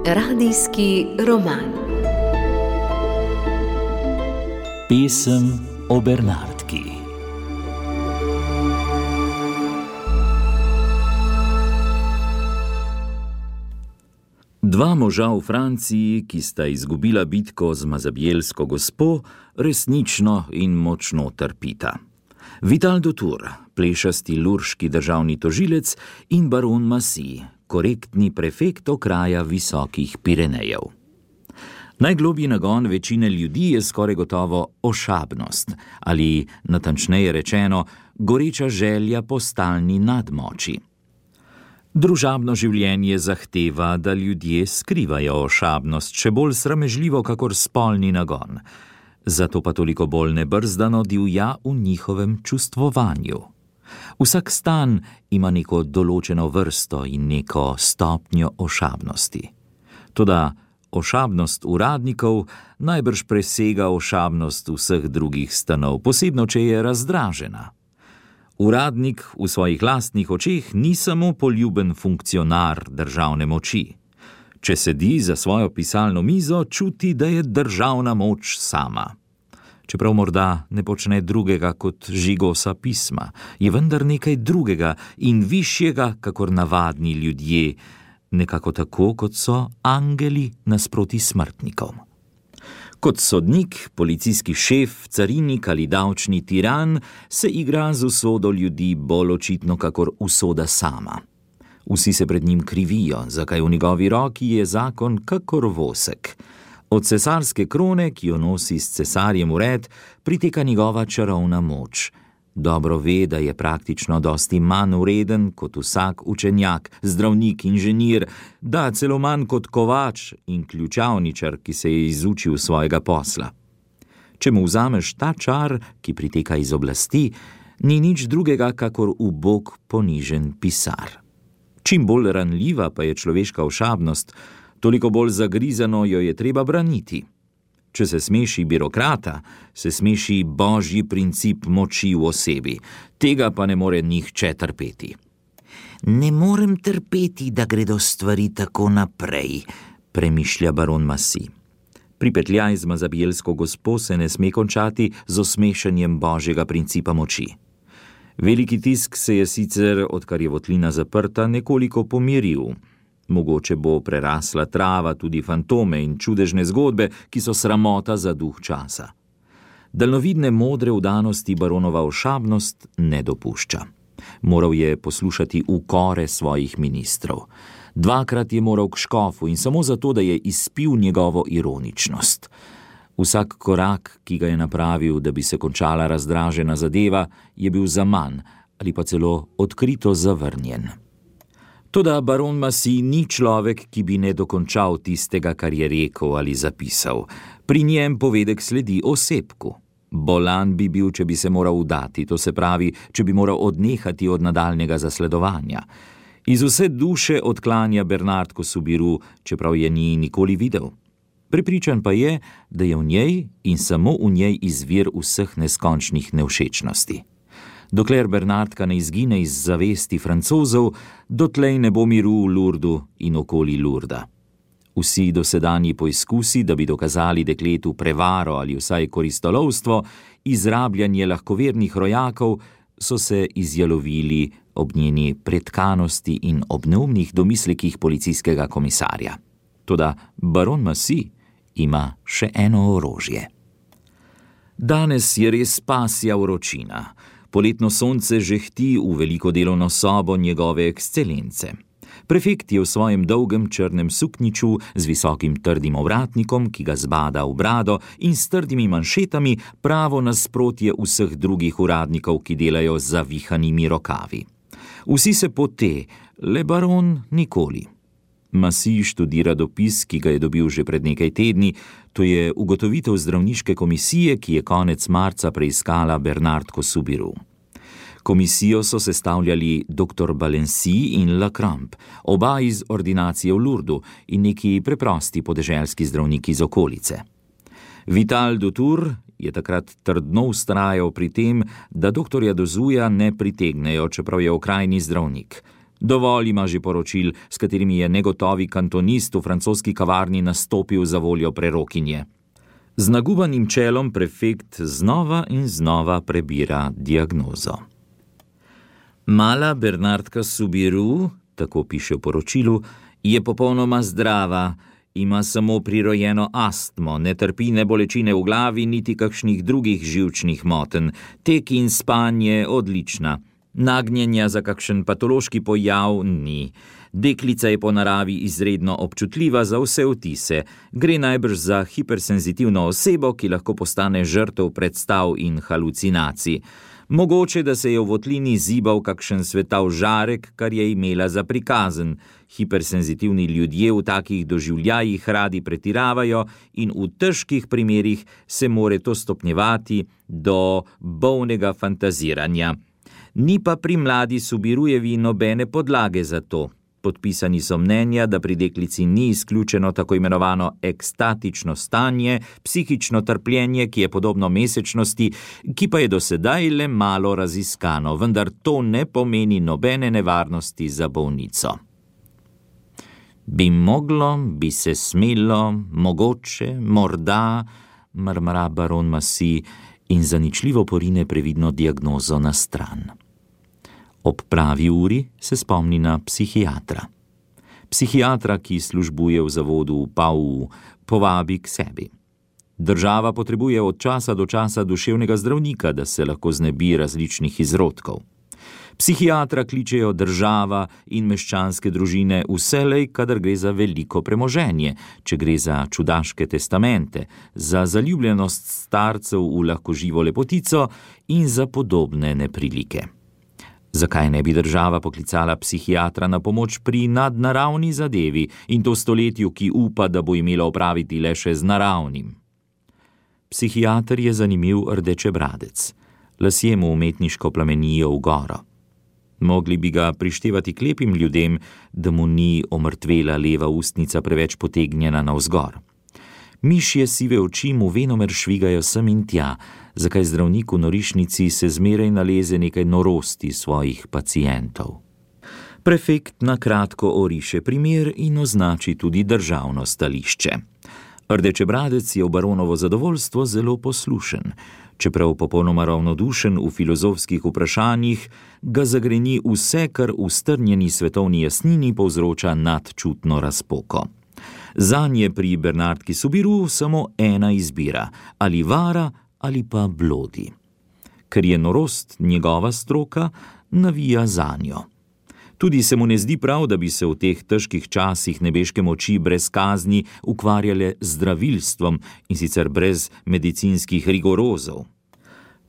Radijski roman. Pesem o Bernardki. Dva moža v Franciji, ki sta izgubila bitko z Mazabjelsko gospo, resnično in močno trpita. Vital Dutour, plešasti lurški državni tožilec, in baron Massy, korektni prefekt okraja Visokih Pirenejev. Najgloblji nagon večine ljudi je skoraj gotovo ošabnost, ali, natančneje rečeno, goreča želja po stalni nadmoči. Družabno življenje zahteva, da ljudje skrivajo ošabnost, še bolj sramežljivo kakor spolni nagon, zato pa toliko bolj nebrzdano divja v njihovem čustvovanju. Vsak stan ima neko določeno vrsto in neko stopnjo ošabnosti. Toda ošabnost uradnikov najbrž presega ošabnost vseh drugih stanov, posebno če je razdražena. Uradnik v svojih lastnih očeh ni samo poljuben funkcionar državne moči. Če sedi za svojo pisalno mizo, čuti, da je državna moč sama. Čeprav morda ne počne drugega kot žigosa pisma, je vendar nekaj drugega in višjega, kakor navadni ljudje, nekako tako, kot so angeli nasproti smrtnikom. Kot sodnik, policijski šef, carinik ali davčni tiran se igra z usodo ljudi bolj očitno kakor usoda sama. Vsi se pred njim krivijo, zakaj v njegovi roki je zakon kakor vosek. Od cesarske krone, ki jo nosi s cesarjem vred, priteka njegova čarovna moč. Dobro ve, da je praktično dosti manj vreden kot vsak učenjak, zdravnik, inženir, da celo manj kot kovač in ključavničar, ki se je izučil svojega posla. Če mu vzameš ta čar, ki priteka iz oblasti, ni nič drugega kakor ubog ponižen pisar. Čim bolj ranljiva pa je človeška ošabnost, toliko bolj zagrizano jo je treba braniti. Če se smeši birokrata, se smeši božji princip moči v osebi. Tega pa ne more nihče trpeti. Ne morem trpeti, da gredo stvari tako naprej, premišlja baron Massy. Pripetljaj z Mazabjelsko gospo se ne sme končati z osmešenjem božjega principa moči. Veliki tisk se je sicer, odkar je votlina zaprta, nekoliko pomiril. Mogoče bo prerasla trava tudi fantome in čudežne zgodbe, ki so sramota za duh časa. Daljnovidne modre vdanosti baronova ošabnost ne dopušča. Moral je poslušati ukore svojih ministrov. Dvakrat je moral k škofu in samo zato, da je izpil njegovo ironičnost. Vsak korak, ki ga je napravil, da bi se končala razdražena zadeva, je bil zaman ali pa celo odkrito zavrnjen. Toda baron Massy ni človek, ki bi ne dokončal tistega, kar je rekel ali zapisal. Pri njem povedek sledi osebku. Bolan bi bil, če bi se moral udati, to se pravi, če bi moral odnehati od nadaljnega zasledovanja. Iz vse duše odklanja Bernardko Soubirous, čeprav je ni nikoli videl. Prepričan pa je, da je v njej in samo v njej izvir vseh neskončnih nevšečnosti. Dokler Bernardka ne izgine iz zavesti Francozov, dotlej ne bo miru v Lourdu in okoli Lourda. Vsi dosedanji poizkusi, da bi dokazali dekletu prevaro ali vsaj koristolovstvo, izrabljanje lahkovernih rojakov, so se izjalovili ob njeni pretkanosti in ob neumnih domislekih policijskega komisarja. Toda baron Massy ima še eno orožje. Danes je res pasja vročina. Poletno sonce žehti v veliko delovno sobo njegove ekscelence. Prefekt je v svojem dolgem črnem suknjiču z visokim trdim ovratnikom, ki ga zbada v brado, in s trdimi manšetami pravo nasprotje vseh drugih uradnikov, ki delajo z zavihanimi rokavi. Vsi se pote, le baron nikoli. Massy študira dopis, ki ga je dobil že pred nekaj tedni, to je ugotovitev zdravniške komisije, ki je konec marca preiskala Bernardko Soubirous. Komisijo so sestavljali dr. Balenci in Lacrampe, oba iz ordinacije v Lourdu in neki preprosti podeželski zdravniki iz okolice. Vital Dutour je takrat trdno vztrajal pri tem, da doktorja Dozuja ne pritegnejo, čeprav je okrajni zdravnik. Dovolj ima že poročil, s katerimi je negotovi kantonist v francoski kavarni nastopil za voljo prerokinje. Z nagubanim čelom prefekt znova in znova prebira diagnozo. Mala Bernardka Soubirous, tako piše v poročilu, je popolnoma zdrava, ima samo prirojeno astmo, ne trpi ne bolečine v glavi, niti kakšnih drugih živčnih motenj. Tek in spanje odlična. Nagnjenja za kakšen patološki pojav ni. Deklica je po naravi izredno občutljiva za vse vtise. Gre najbrž za hipersenzitivno osebo, ki lahko postane žrtev predstav in halucinacij. Mogoče, da se je v votlini zibal kakšen svetav žarek, kar je imela za prikazen. Hipersenzitivni ljudje v takih doživljajih radi pretiravajo in v težkih primerih se more to stopnjevati do bolnega fantaziranja. Ni pa pri mladi Soubiroujevi nobene podlage za to. Podpisani so mnenja, da pri deklici ni izključeno tako imenovano ekstatično stanje, psihično trpljenje, ki je podobno mesečnosti, ki pa je do sedaj le malo raziskano, vendar to ne pomeni nobene nevarnosti za bolnico. Bi moglo, bi se smelo, mogoče, morda, mrmra baron Massy in zaničljivo porine previdno diagnozo na stran. Ob pravi uri se spomni na psihiatra. Psihiatra, ki službuje v zavodu v Pau, povabi k sebi. Država potrebuje od časa do časa duševnega zdravnika, da se lahko znebi različnih izrodkov. Psihiatra kličejo država in meščanske družine vselej, kadar gre za veliko premoženje, če gre za čudaške testamente, za zaljubljenost starcev v lahkoživo lepotico in za podobne neprilike. Zakaj ne bi država poklicala psihiatra na pomoč pri nadnaravni zadevi in to stoletju, ki upa, da bo imelo opraviti le še z naravnim? Psihiater je zanimiv rdečebradec. Lasje mu umetniško plamenijo v goro. Mogli bi ga prištevati k lepim ljudem, da mu ni omrtvela leva ustnica preveč potegnjena navzgor. Mišje sive oči mu venomer švigajo sem in tja, zakaj zdravnik v norišnici se zmeraj naleze nekaj norosti svojih pacientov. Prefekt na kratko oriše primer in označi tudi državno stališče. Rdečebradec je v baronovo zadovoljstvo zelo poslušen. Čeprav popolnoma ravnodušen v filozofskih vprašanjih, ga zagreni vse, kar v strnjeni svetovni jasnini povzroča nadčutno razpoko. Zanj je pri Bernardki Soubirous samo ena izbira, ali vara ali pa blodi. Ker je norost njegova stroka, navija zanjo. Tudi se mu ne zdi prav, da bi se v teh težkih časih nebeške moči brez kazni ukvarjale z zdravilstvom in sicer brez medicinskih rigorozov.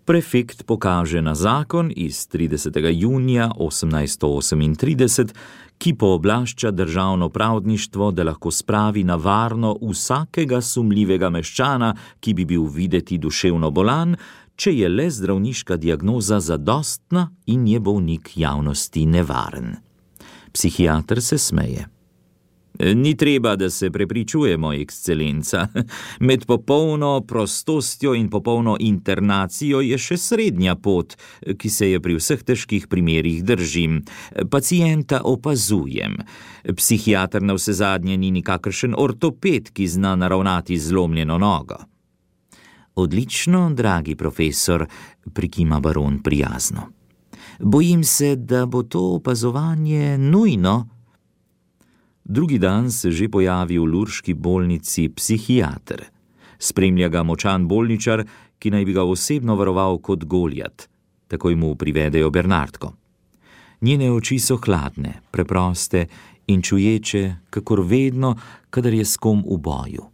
Prefekt pokaže na zakon iz 30. junija 1838, ki pooblašča državno pravdništvo, da lahko spravi na varno vsakega sumljivega meščana, ki bi bil videti duševno bolan, če je le zdravniška diagnoza zadostna in je bolnik javnosti nevaren. Psihiater se smeje. Ni treba, da se prepričujemo, ekscelenca. Med popolno prostostjo in popolno internacijo je še srednja pot, ki se je pri vseh težkih primerih držim. Pacienta opazujem. Psihiater navsezadnje ni nikakršen ortoped, ki zna naravnati zlomljeno nogo. Odlično, dragi profesor, prikima baron prijazno. Bojim se, da bo to opazovanje nujno. Drugi dan se že pojavi v lurški bolnici psihiater. Spremlja ga močan bolničar, ki naj bi ga osebno varoval kot Goljat. Takoj mu privedejo Bernardko. Njene oči so hladne, preproste in čuječe, kakor vedno, kadar je s kom v boju.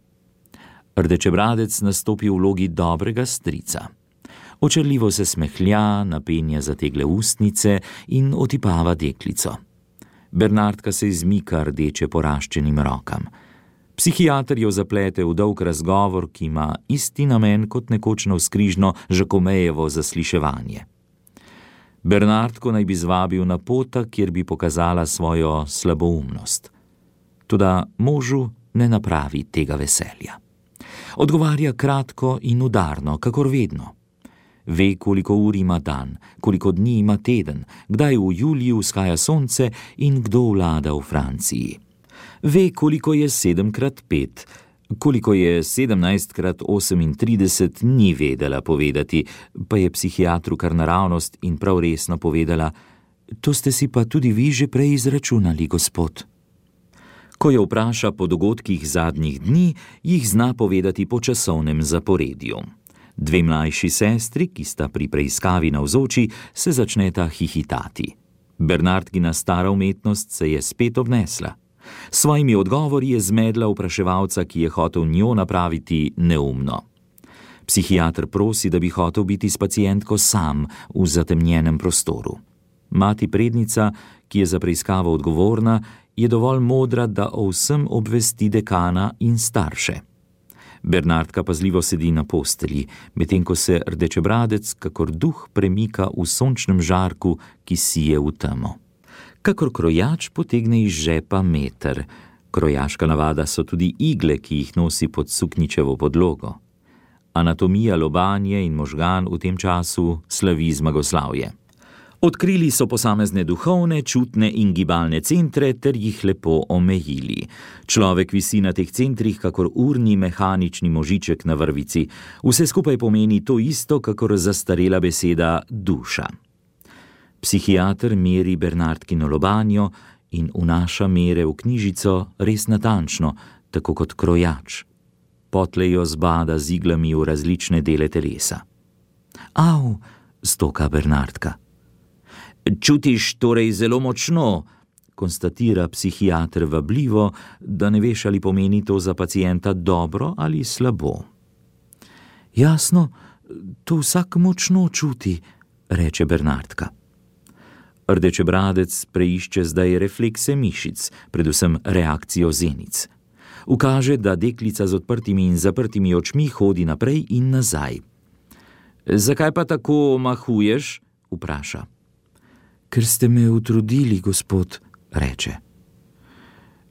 Rdečebradec nastopi v vlogi dobrega strica. Očarljivo se smehlja, napenja zategle ustnice in otipava deklico. Bernardka se izmika rdeče poraščenim rokam. Psihiater jo zaplete v dolg razgovor, ki ima isti namen kot nekoč navzkrižno Žakomejevo zasliševanje. Bernardko naj bi zvabil na pota, kjer bi pokazala svojo slaboumnost. Toda možu ne napravi tega veselja. Odgovarja kratko in udarno, kakor vedno. Ve, koliko ur ima dan, koliko dni ima teden, kdaj v juliju vzhaja sonce in kdo vlada v Franciji. Ve, koliko je 7x5, koliko je 17x38, ni vedela povedati, pa je psihiatru kar naravnost in prav resno povedala: to ste si pa tudi vi že prej izračunali, gospod. Ko jo vpraša po dogodkih zadnjih dni, jih zna povedati po časovnem zaporedju. 2 mlajši sestri, ki sta pri preiskavi navzoči, se začneta hihitati. Bernardkina stara umetnost se je spet obnesla. S svojimi odgovori je zmedla vpraševalca, ki je hotel njo napraviti neumno. Psihiater prosi, da bi hotel biti s pacientko sam v zatemnjenem prostoru. Mati prednica, ki je za preiskavo odgovorna, je dovolj modra, da o vsem obvesti dekana in starše. Bernardka pazljivo sedi na postelji, medtem ko se Rdečebradec kakor duh premika v sončnem žarku, ki sije v temo. Kakor krojač potegne iz žepa meter. Krojaška navada so tudi igle, ki jih nosi pod suknjičevo podlogo. Anatomija lobanje in možgan v tem času slavi zmagoslavje. Odkrili so posamezne duhovne, čutne in gibalne centre ter jih lepo omejili. Človek visi na teh centrih kakor urni mehanični možiček na vrvici. Vse skupaj pomeni to isto, kakor zastarela beseda duša. Psihiater meri Bernardkino lobanjo in vnaša mere v knjižico res natančno, tako kot krojač. Potlej jo zbada z iglami v različne dele telesa. Au, stoka Bernardka. Čutiš torej zelo močno, konstatira psihiater vabljivo, da ne veš, ali pomeni to za pacienta dobro ali slabo. Jasno, to vsak močno čuti, reče Bernardka. Rdečebradec preišče zdaj reflekse mišic, predvsem reakcijo zenic. Ukaže, da deklica z odprtimi in zaprtimi očmi hodi naprej in nazaj. Zakaj pa tako mahuješ? Vpraša. Ker ste me utrudili, gospod, reče.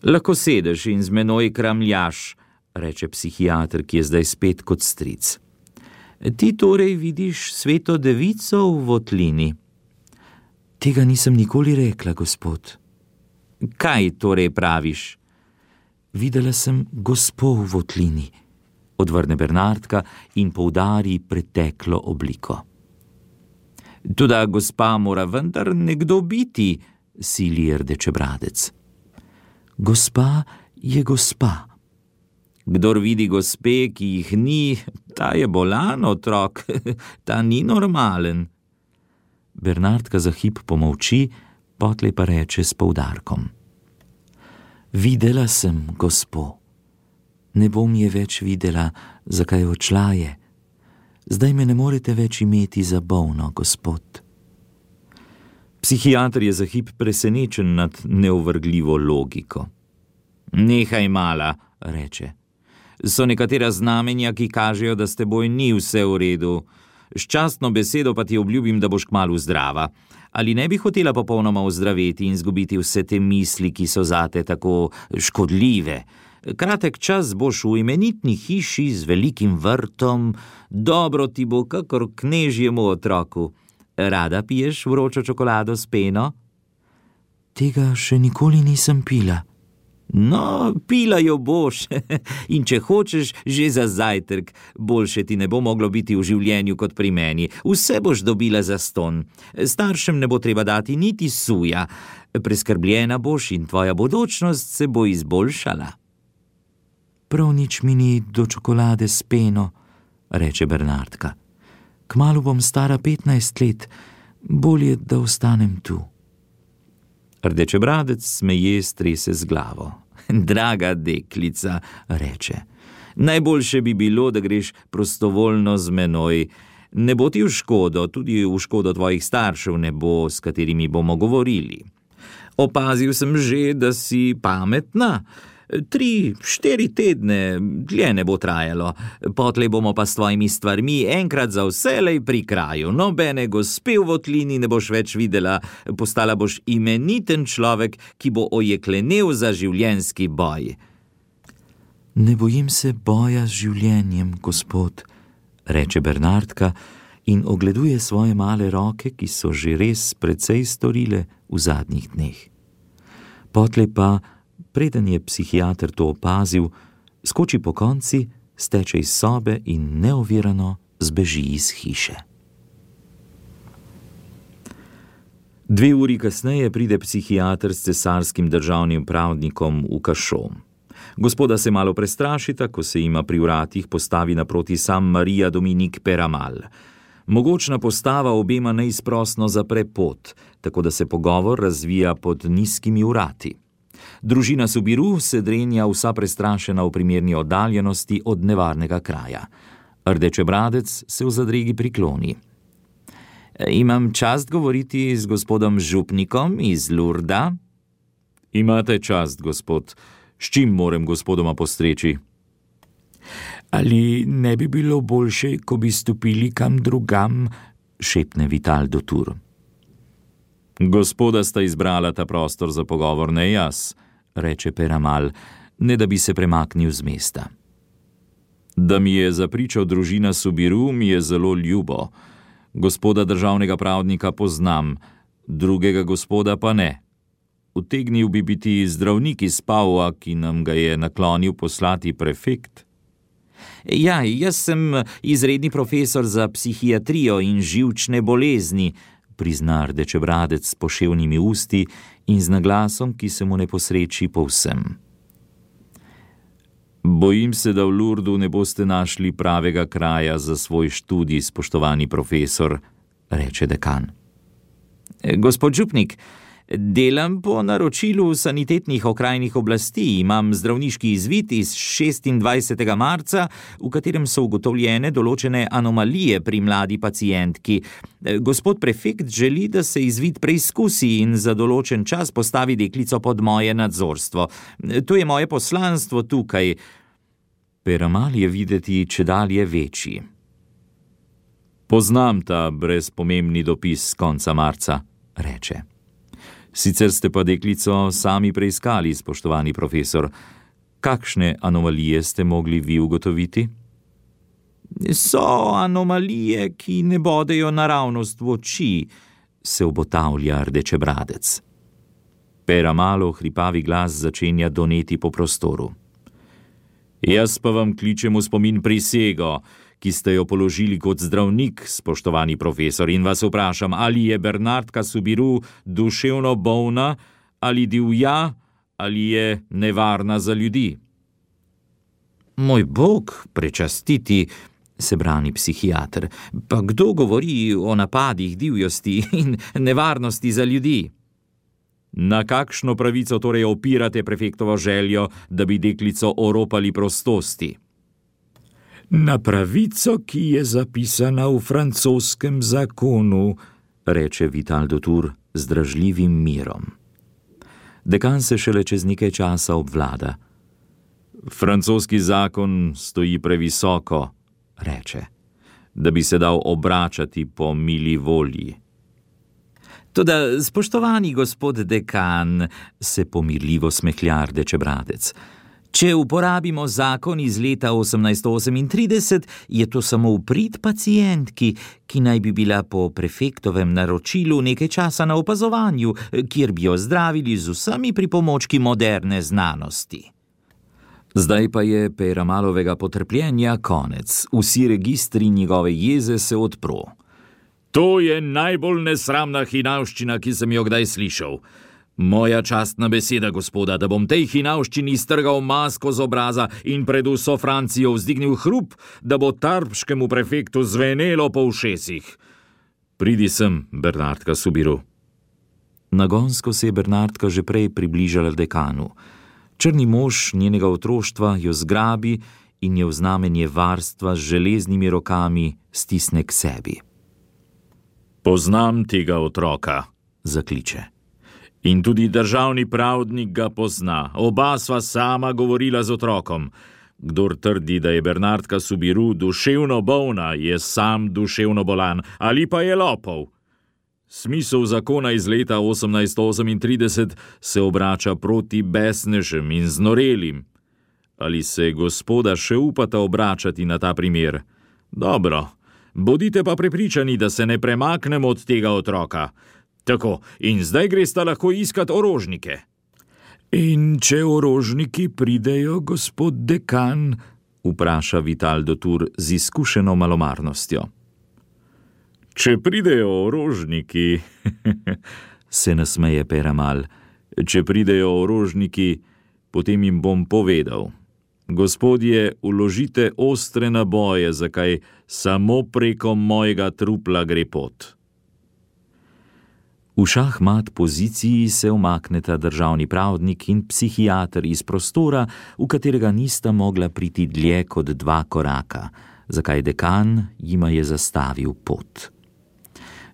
Lahko sedeš in z menoj kramljaš, reče psihiater, ki je zdaj spet kot stric. Ti torej vidiš sveto devico v votlini? Tega nisem nikoli rekla, gospod. Kaj torej praviš? Videla sem gospo v votlini, odvrne Bernardka in poudari preteklo obliko. Toda gospa mora vendar nekdo biti, sili Rdečebradec. Gospa je gospa. Kdor vidi gospe, ki jih ni, ta je bolan otrok, ta ni normalen. Bernardka za hip pomolči, potlej pa reče s poudarkom. Videla sem gospo. Ne bom je več videla, zakaj odšla je. Zdaj me ne morete več imeti za bolno, gospod. Psihiater je za hip presenečen nad neovrgljivo logiko. Nehaj mala, reče. So nekatera znamenja, ki kažejo, da s teboj ni vse v redu. S častno besedo pa ti obljubim, da boš kmalu zdrava. Ali ne bi hotela popolnoma ozdraveti in zgubiti vse te misli, ki so zate tako škodljive? Kratek čas boš v imenitni hiši z velikim vrtom, dobro ti bo kakor knežjemu otroku. Rada piješ vročo čokolado s peno? Tega še nikoli nisem pila. No, pila jo boš in če hočeš, že za zajtrk. Boljše ti ne bo moglo biti v življenju kot pri meni. Vse boš dobila zastonj. Staršem ne bo treba dati niti suja. Preskrbljena boš in tvoja bodočnost se bo izboljšala. Prav nič mi ni do čokolade s peno, reče Bernardka. Kmalu bom stara 15 let, bolje, da ostanem tu. Rdečebradec smeje strese z glavo. Draga deklica, reče, najboljše bi bilo, da greš prostovoljno z menoj. Ne bo ti v škodo, tudi v škodo tvojih staršev ne bo, s katerimi bomo govorili. Opazil sem že, da si pametna. 3-4 tedne, dlje ne bo trajalo. Potlej bomo pa s tvojimi stvarmi enkrat za vselej pri kraju. Nobene gospe v votlini ne boš več videla. Postala boš imeniten človek, ki bo ojeklenel za življenjski boj. Ne bojim se boja z življenjem, gospod, reče Bernardka in ogleduje svoje male roke, ki so že res precej storile v zadnjih dneh. Potlej pa, preden je psihiater to opazil, skoči po konci, steče iz sobe in neovirano zbeži iz hiše. 2 uri kasneje pride psihiater s cesarskim državnim pravdnikom v Kašo. Gospoda se malo prestrašita, ko se jima pri vratih postavi naproti sam Marija Dominik Peramal. Mogočna postava obema neizprosno zapre pot, tako da se pogovor razvija pod nizkimi vrati. Družina Subiru se drenja vsa prestrašena v primerni oddaljenosti od nevarnega kraja. Rdečebradec se v zadregi prikloni. Imam čast govoriti z gospodom župnikom iz Lurda? Imate čast, gospod. S čim morem gospodoma postreči? Ali ne bi bilo boljše, ko bi stopili kam drugam, šepne Vital do Tur. Gospoda sta izbrala ta prostor za pogovor, ne jaz, reče Peramal, ne da bi se premaknil z mesta. Da mi je zapričal družina Subiru, mi je zelo ljubo. Gospoda državnega pravdnika poznam, drugega gospoda pa ne. Utegnil bi biti zdravnik iz Paua, ki nam ga je naklonil poslati prefekt. Ja, jaz sem izredni profesor za psihiatrijo in živčne bolezni, prizna Rdečebradec s poševnimi usti in z naglasom, ki se mu ne posreči povsem. Bojim se, da v Lurdu ne boste našli pravega kraja za svoj študij, spoštovani profesor, reče dekan. Gospod župnik, delam po naročilu sanitetnih okrajnih oblasti, imam zdravniški izvid iz 26. marca, v katerem so ugotovljene določene anomalije pri mladi pacientki. Gospod prefekt želi, da se izvid preizkusi in za določen čas postavi deklico pod moje nadzorstvo. To je moje poslanstvo tukaj. Peramal je videti čedalje večji. Poznam ta brezpomembni dopis z konca marca, reče. Sicer ste pa deklico sami preiskali, spoštovani profesor. Kakšne anomalije ste mogli vi ugotoviti? So anomalije, ki ne bodejo naravnost v oči, se obotavlja Rdečebradec. Peramalov hripavi glas začenja doneti po prostoru. Jaz pa vam kličem v spomin prisego, ki ste jo položili kot zdravnik, spoštovani profesor, in vas vprašam, ali je Bernardka Subiru duševno bolna, ali divja, ali je nevarna za ljudi. Moj Bog, prečastiti, se brani psihiater, pa kdo govori o napadih, divjosti in nevarnosti za ljudi? Na kakšno pravico torej opirate prefektovo željo, da bi deklico oropali prostosti? Na pravico, ki je zapisana v francoskem zakonu, reče Vital do Tur z dražljivim mirom. Dekan se šele čez nekaj časa obvlada. Francoski zakon stoji previsoko, reče, da bi se dal obračati po mili volji. Toda, spoštovani gospod dekan, se pomirljivo smehlja Rdečebradec, če uporabimo zakon iz leta 1838, je to samo v prid pacientki, ki naj bi bila po prefektovem naročilu nekaj časa na opazovanju, kjer bi jo zdravili z vsemi pripomočki moderne znanosti. Zdaj pa je Peramalovega potrpljenja konec, vsi registri njegove jeze se odpro. To je najbolj nesramna hinavščina, ki sem jo kdaj slišal. Moja častna beseda, gospoda, da bom tej hinavščini strgal masko z obraza in pred vso Francijo vzdignil hrup, da bo tarbškemu prefektu zvenelo po ušesih. Pridi sem, Bernardka Subiru. Nagonsko se je Bernardka že prej približala dekanu. Črni mož njenega otroštva jo zgrabi in je v znamenje varstva z železnimi rokami stisne k sebi. Poznam tega otroka, zakliče. In tudi državni pravdnik ga pozna. Oba sva sama govorila z otrokom. Kdor trdi, da je Bernardka Subiru duševno bolna, je sam duševno bolan ali pa je lopov. Smisel zakona iz leta 1838 se obrača proti besnežem in znorelim. Ali se gospoda še upata obračati na ta primer? Dobro, bodite pa prepričani, da se ne premaknemo od tega otroka. Tako, in zdaj gresta lahko iskat orožnike. In če orožniki pridejo, gospod dekan, vpraša Vital de Tours z izkušeno malomarnostjo. Če pridejo orožniki, se nasmeje Peyramal, če pridejo orožniki, potem jim bom povedal. Gospodje, vložite ostre naboje, zakaj samo preko mojega trupla gre pot. V šahmat poziciji se umakneta državni pravdnik in psihiater iz prostora, v katerega nista mogla priti dlje kot 2 koraka, zakaj dekan jima je zastavil pot.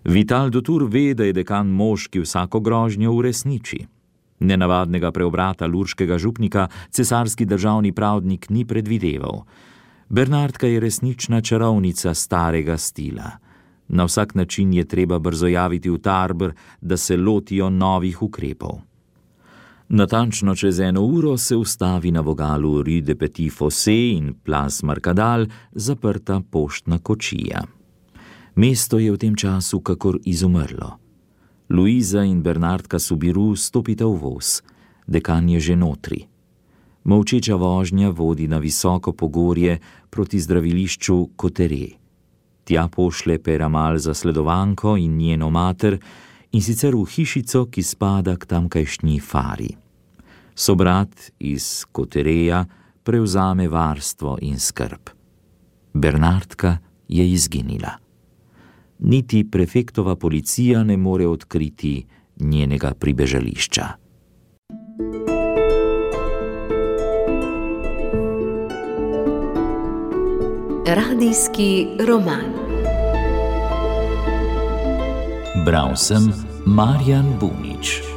Vital de Tours ve, da je dekan mož, ki vsako grožnjo uresniči. Nenavadnega preobrata lurškega župnika cesarski državni pravdnik ni predvideval. Bernardka je resnična čarovnica starega stila. Na vsak način je treba brzo javiti v Tarbes, da se lotijo novih ukrepov. Natančno čez 1 uro se ustavi na vogalu Rue de Petit Fossé in Place Marcadal zaprta poštna kočija. Mesto je v tem času kakor izumrlo. Luiza in Bernardka Soubirous stopita v voz. Dekan je že notri. Molčeča vožnja vodi na visoko pogorje proti zdravilišču Cotteret. Tja pošle Peyramal za sledovanko in njeno mater, in sicer v hišico, ki spada k tamkajšnji fari. Sobrat iz Cottereja prevzame varstvo in skrb. Bernardka je izginila. Niti prefektova policija ne more odkriti njenega pribežališča. Radijski roman. Bral sem Marjan Bunič.